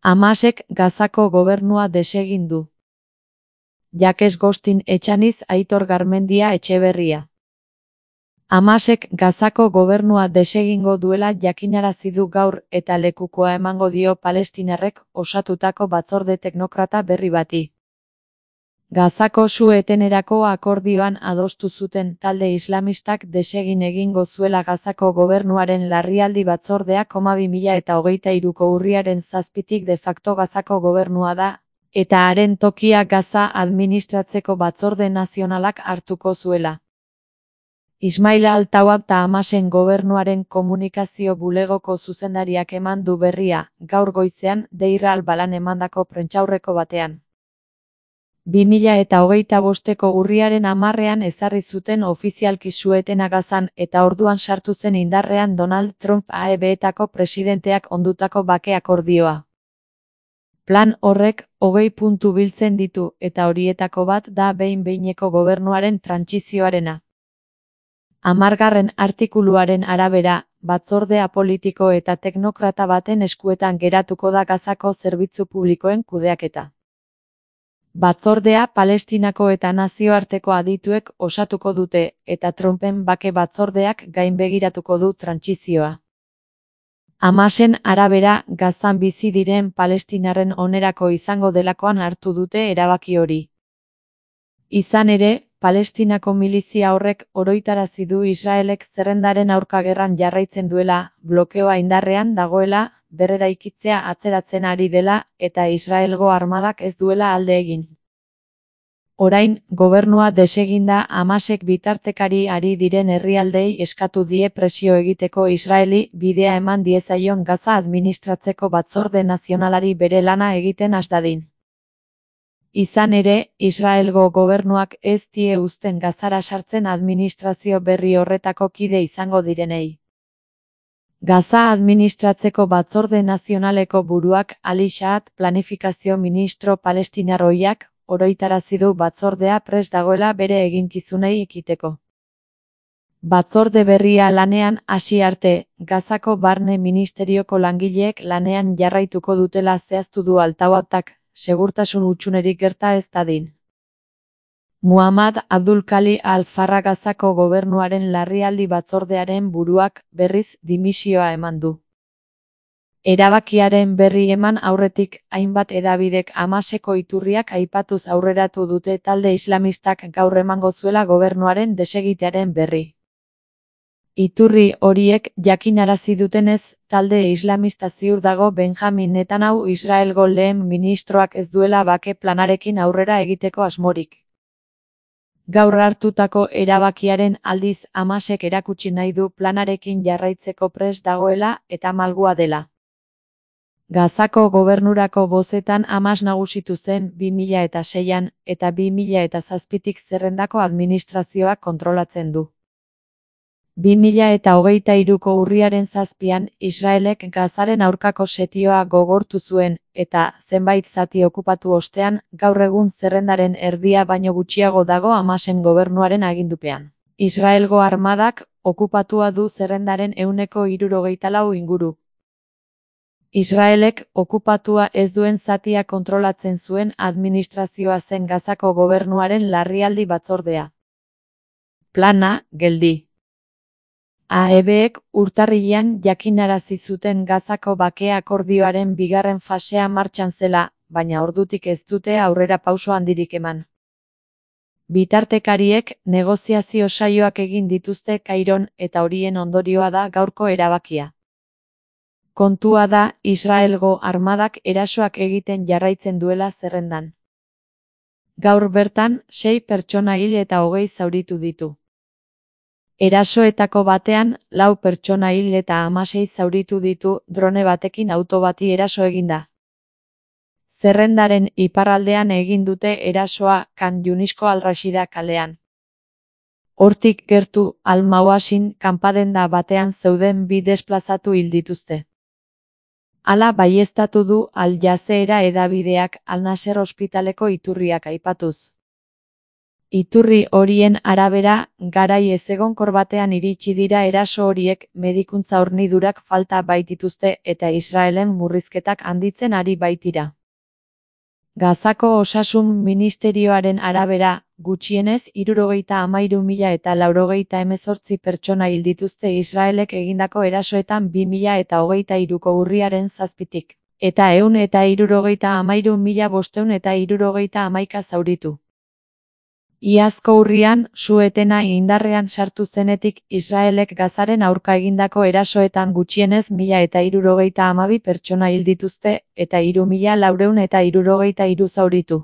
Hamasek Gazako gobernua desegin du. Jakes Gostin Etxaniz Aitor Garmendia Etxeberria. Hamasek Gazako gobernua desegingo duela jakinarazi du gaur eta lekukoa emango dio palestinarrek osatutako batzorde teknokrata berri bati. Gazako su-etenerako akordioan adostu zuten talde islamistak desegin egingo zuela Gazako gobernuaren larrialdi batzordea 2023ko urriaren 7tik de facto Gazako gobernua da, eta haren tokia Gaza administratzeko batzorde nazionalak hartuko zuela. Ismail Al-Tawab eta Hamasen gobernuaren komunikazio bulegoko zuzendariak eman du berria, gaur goizean Deir al-Balan emandako prentsaurreko batean. 2025ko urriaren 10ean ezarri zuten ofizialki su-etena Gazan eta orduan sartu zen indarrean Donald Trump AEB-etako presidenteak ondutako bake akordioa. Plan horrek 20 puntu biltzen ditu eta horietako bat da behin-behineko gobernuaren trantsizioarena. 10. artikuluaren arabera, batzordea politiko eta teknokrata baten eskuetan geratuko da Gazako zerbitzu publikoen kudeaketa. Batzordea Palestinako eta nazioarteko adituek osatuko dute eta Trumpen bake batzordeak gainbegiratuko du trantsizioa. Hamasen arabera, Gazan bizi diren palestinarren onerako izango delakoan hartu dute erabaki hori. Izan ere, Palestinako milizia horrek oroitarazi du Israelek zerrendaren aurka gerran jarraitzen duela, blokeoa indarrean dagoela, berreraikitzea atzeratzen ari dela eta Israelgo armadak ez duela alde egin. Orain, gobernua deseginda Hamasek bitartekari ari diren herrialdei eskatu die presio egiteko Israeli bidea eman diezaion Gaza administratzeko batzorde nazionalari bere lana egiten has dadin. Izan ere, Israelgo gobernuak ez die uzten Gazara sartzen administrazio berri horretako kide izango direnei. Gaza administratzeko batzorde nazionaleko buruak Ali Shahat planifikazio ministro palestinarroiak oroitarazi du batzordea prest dagoela bere eginkizunei ekiteko. Batzorde berria lanean hasi arte, Gazako barne ministerioko langileek lanean jarraituko dutela zehaztu du Al-Tawabak, segurtasun hutsunerik gerta ez dadin. Muhammad Abdul Khali Al-Farra Gazako gobernuaren larrialdi batzordearen buruak berriz dimisioa eman du. Erabakiaren berri eman aurretik hainbat hedabidek Hamaseko iturriak aipatuz aurreratu dute talde islamistak gaur emango zuela gobernuaren desegitearen berri. Iturri horiek jakinarazi dutenez, talde islamista ziur dago Benjamin Netanyahu Israelgo lehen ministroak ez duela bake planarekin aurrera egiteko asmorik. Gaur hartutako erabakiaren aldiz Hamasek erakutsi nahi du planarekin jarraitzeko prest dagoela eta malgua dela. Gazako gobernurako bozetan Hamas nagusitu zen 2006an eta 2007tik zerrendako administrazioak kontrolatzen du. 2023ko urriaren 7an Israelek Gazaren aurkako setioa gogortu zuen eta zenbait zati okupatu ostean gaur egun zerrendaren erdia baino gutxiago dago Hamasen gobernuaren agindupean. Israelgo armadak okupatua du zerrendaren 74% inguru. Israelek okupatua ez duen zatia kontrolatzen zuen administrazioa zen Gazako gobernuaren larrialdi batzordea. Plana, geldi. AEBek urtarrilean jakinarazi zuten Gazako bake akordioaren bigarren fasea martxan zela, baina ordutik ez dute aurrera pauso handirik eman. Bitartekariek negoziazio saioak egin dituzte Kairon eta horien ondorioa da gaurko erabakia. Kontua da Israelgo armadak erasoak egiten jarraitzen duela zerrendan. Gaur bertan, 6 pertsona hil eta 20 zauritu ditu. Erasoetako batean, 4 pertsona hil eta 16 zauritu ditu drone batekin auto bati eraso eginda. Zerrendaren iparraldean egin dute erasoa Khan Yunisko Al-Rashida kalean. Hortik gertu Al-Mawasin kanpadenda batean zeuden 2 desplazatu hil dituzte. Hala baieztatu du Al Jazeera hedabideak Al Nasser ospitaleko iturriak aipatuz. Iturri horien arabera, garai ezegonkor batean iritsi dira eraso horiek, medikuntza hornidurak falta baitituzte eta Israelen murrizketak handitzen ari baitira. Gazako osasun ministerioaren arabera, gutxienez 73.018 pertsona hil dituzte Israelek egindako erasoetan 2023ko urriaren 7tik, eta 173.571 zauritu. Iazko urrian, su-etena indarrean sartu zenetik, Israelek Gazaren aurka egindako erasoetan gutxienez 1.072 pertsona hil dituzte, eta 3.473 zauritu.